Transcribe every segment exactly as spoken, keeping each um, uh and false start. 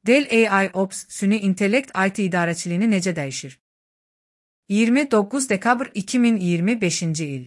Dell A I Ops, süni intellekt I T idarəçiliyini necə dəyişir? iyirmi doqquz dekabr iki min iyirmi beşinci il.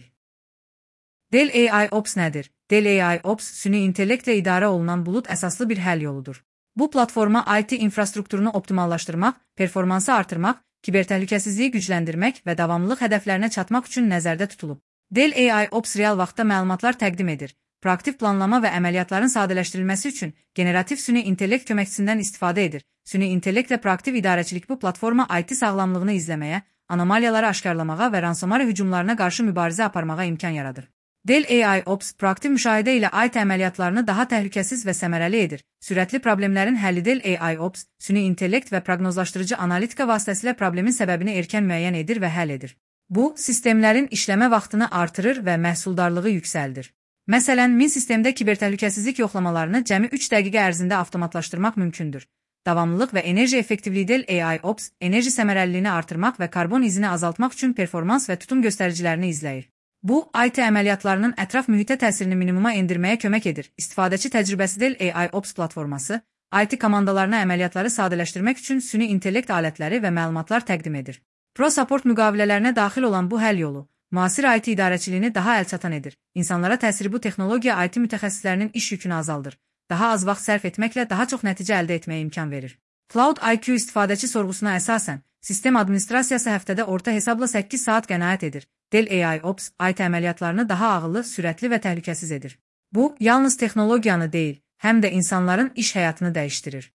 Dell A I Ops nədir? Dell A I Ops, süni intellektlə idarə olunan bulut əsaslı bir həll yoludur. Bu platforma I T infrastrukturunu optimallaşdırmaq, performansı artırmaq, kibertəhlükəsizliyi gücləndirmək və davamlılıq hədəflərinə çatmaq üçün nəzərdə tutulub. Dell A I Ops real vaxtda məlumatlar təqdim edir. Proaktiv planlama və əməliyyatların sadələşdirilməsi üçün generativ süni intellekt köməkçisindən istifadə edir. Süni intellektlə proaktiv idarəçilik bu platforma I T sağlamlığını izləməyə, anomaliyaları aşkarlamağa və ransomware hücumlarına qarşı mübarizə aparmağa imkan yaradır. Dell A I Ops proaktiv müşahidə ilə I T əməliyyatlarını daha təhlükəsiz və səmərəli edir. Sürətli problemlərin həlli Dell A I Ops, süni intellekt və proqnozlaşdırıcı analitika vasitəsilə problemin səbəbini erkən müəyyən edir və həll edir. Bu, sistemlərin işləmə vaxtını artırır və məhsuldarlığı yüksəldir. Məsələn, min sistemdə kibertəhlükəsizlik yoxlamalarını cəmi üç dəqiqə ərzində avtomatlaşdırmaq mümkündür. Davamlılıq və enerji effektivliyi Dell A I Ops, enerji səmərəliliyini artırmaq və karbon izini azaltmaq üçün performans və tutum göstəricilərini izləyir. Bu, I T əməliyyatlarının ətraf mühitə təsirini minimuma endirməyə kömək edir. İstifadəçi təcrübəsi Dell A I Ops platforması, I T komandalarına əməliyyatları sadələşdirmək üçün süni intellekt alətləri və məlumatlar təqdim edir. Pro Support müqavilələrinə daxil olan bu həll yolu, müasir I T idarəçiliyini daha əlçatan edir. İnsanlara təsiri bu texnologiya I T mütəxəssislərinin iş yükünü azaldır. Daha az vaxt sərf etməklə daha çox nəticə əldə etməyə imkan verir. Cloud I Q istifadəçi sorğusuna əsasən, sistem administrasiyası həftədə orta hesabla səkkiz saat qənaət edir. Dell A I Ops, I T əməliyyatlarını daha ağıllı, sürətli və təhlükəsiz edir. Bu, yalnız texnologiyanı deyil, həm də insanların iş həyatını dəyişdirir.